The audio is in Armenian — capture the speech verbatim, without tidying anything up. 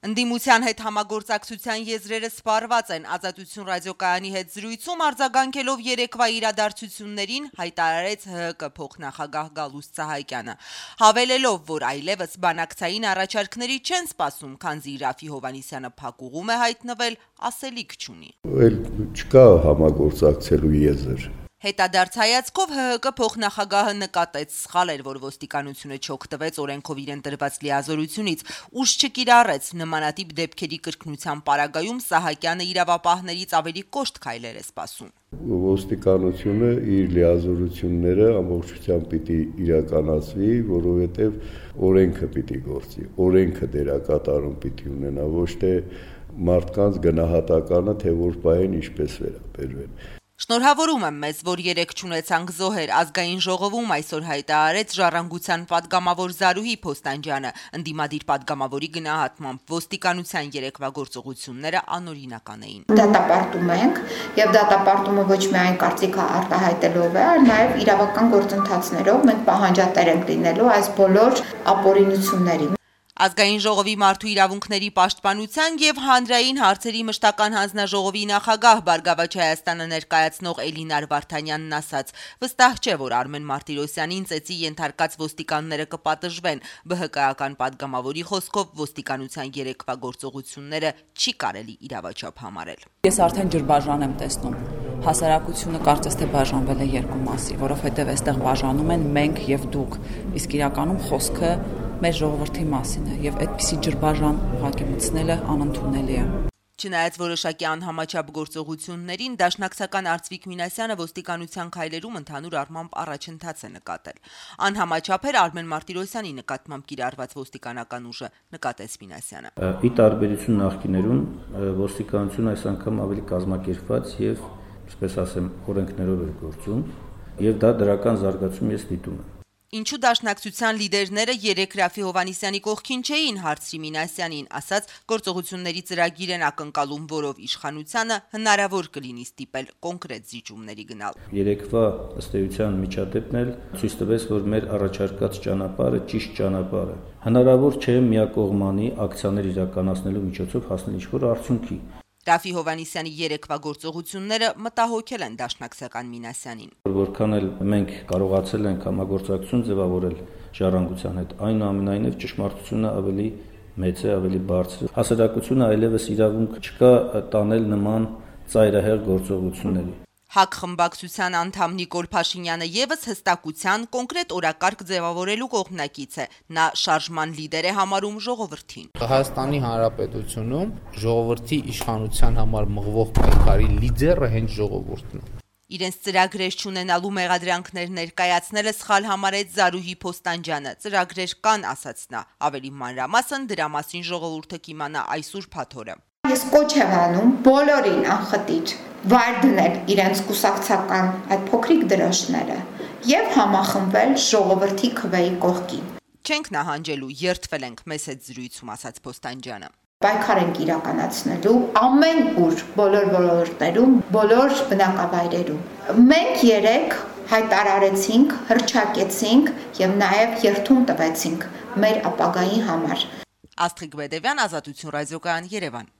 Ընդդիմության հետ համագործակցության եզրերը սպառված են։ Ազատություն ռադիոկայանի հետ զրույցում արձագանքելով երեկվա իրադարձություններին հայտարարեց ՀՀԿ փոխնախագահ Գալուստ Սահակյանը, հավելելով, որ այլևս բանակցային առաջարկների չեն սպասում, քանզի Րաֆֆի Հովհաննիսյանը փակուղում է հայտնվել, ասելիք չունի։ Էլ չկա համագործակցելու եզր։ Հետադարձ հայացքով ՀՀԿ փոխնախագահը նկատեց սխալ էր, որ ոստիկանությունը չօգտվեց օրենքով իրեն տրված լիազորությունից, ուժ չկիրառեց նմանատիպ դեպքերի կրկնության պարագայում Սահակյանը իրավապահներից ավելի կոշտ քայլեր է սպասում։ Ոստիկանությունը իր լիազորությունները ամբողջությամբ պիտի իրականացվի, որովհետև օրենքը պիտի գործի, օրենքը դերակատարում պիտի ունենա, ոչ թե մարդկանց գնահատականը, թե որ պահեն ինչպես վերաբերվեն։ Շնորհավորում եմ մեզ, որ երեկ չունեցանք զոհեր, ազգային ժողովում այսօր հայտարարեց Ժառանգության պատգամավոր Զարուհի Փոստանջյանը, ընդդիմադիր պատգամավորի գնահատմամբ ոստիկանության երեկվա գործողությունները անօրինական էին։ Դատապարտում ենք, եւ դատապարտումը ոչ միայն կարծիքը արտահայտելով է, այլ նաեւ իրավական գործընթացներով մենք պահանջատեր ենք լինելու այս բոլոր ապօրինությունների։ Ազգային ժողովի մարդու իրավունքների պաշտպանության եւ հանրային հարցերի մշտական հանձնաժողովի նախագահ Բարգավաճ Հայաստանը ներկայացնող Էլինար Վարդանյանն ասաց. վստահ չէ, որ Արմեն Մարտիրոսյանին ծեծի ենթարկած ոստիկանները կպատժվեն։ ԲՀԿ-ական պատգամավորի խոսքով ոստիկանության երեկվա գործողությունները չի կարելի իրավաչափ համարել։ Ես արդեն ջրբաժան եմ տեսնում։ Հասարակությունը կարծես թե բաժանվել է երկու մասի, որովհետև այստեղ բաժանում են մենք եւ դուք, իսկ իրականում խոսքը մեր ժողովրդի մասին է եւ այդպիսի ջրբաժան ուղղակի մտցնելը անընդունելի է։ Չնայած որոշակի անհամաչափ գործողություններին, դաշնակցական Արծվիկ Մինասյանը ոստիկանության քայլերում ընդհանուր առմամբ առաջընթաց է նկատել։ Անհամաչափ էր Արմեն Մարտիրոսյանի նկատմամբ կիրառված ոստիկանական ուժը, նկատեց Մինասյանը։ Ի տարբերություն նախկիներուն, ոստիկանությունը այս անգամ ավելի կազմակերպված եւ, ինչպես ասեմ, օրենքներով էր գործում, եւ դա դրական զարգացում ես դիտում եմ։ Ինչու դաշնակցության լիդերները երեք Րաֆֆի Հովհաննիսյանի կողքին չէին, հարցրի Մինասյանին, ասաց գործողությունների ծրագիր են ակնկալում, որով իշխանությանը հնարավոր կլինի ստիպել կոնկրետ զիջումների գնալ։ Երեկվա ըստ էության միջադեպն էլ ցույց տվեց, որ մեր առաջարկած ճանապարհը ճիշտ ճանապարհ է։ Հնարավոր չէ միակողմանի ակցիաներ իրականացնելու միջոցով հասնել ինչ-որ արդյունքի։ Րաֆֆի Հովհաննիսյանի երեկվա գործողությունները մտահոգել են դաշնակցական Մինասյանին։ Որքան էլ մենք կարողացել ենք համագործակցություն ձևավորել Ժառանգության հետ, այնուամենայնիվ ճշմարտությունը ավելի մեծ է, ավելի բարձր։ Հասարակությունը այլևս իրավունք չկա տանել նման ծայրահեղ գործողությունների։ ՀԱԿ խմբակցության անդամ Նիկոլ Փաշինյանը եւս հստակության կոնկրետ օրակարգ ձևավորելու կողմնակից է։ Նա շարժման լիդեր է համարում ժողովրդին։ Հայաստանի Հանրապետությունում ժողովրդի իշխանության համար մղվող պայքարի լիդերը հենց ժողովուրդն է։ Իրենց ծրագրեր չունենալու մեղադրանքներ ներկայացնելը սխալ համարեց Զարուհի Փոստանջյանը։ Ծրագրեր կան, ասաց նա։ Ավելի մանրամասն դրա մասին ժողովուրդը կիմանա այսօր փաթորը։ Ես կոչ եմ անում բոլորին անխտիր վայր դնել իրենց կուսակցական այդ փոքրիկ դրոշները եւ համախմբվել ժողովրդի քվեի կողքին։ Չենք նահանջելու, երդվել ենք մեզ հետ զրույցում, ասաց Փոստանջյանը։ Պայքար ենք իրականացնելու ամեն ուր, բոլոր ոլորտներում, բոլոր բնակավայրերում։ Մենք երեք հայտարարեցինք, հռչակեցինք եւ նաեւ երթում տվեցինք մեր ապագայի համար։ Աստղիկ Բեդևյան, Ազատություն ռադիոկայան, Երևան։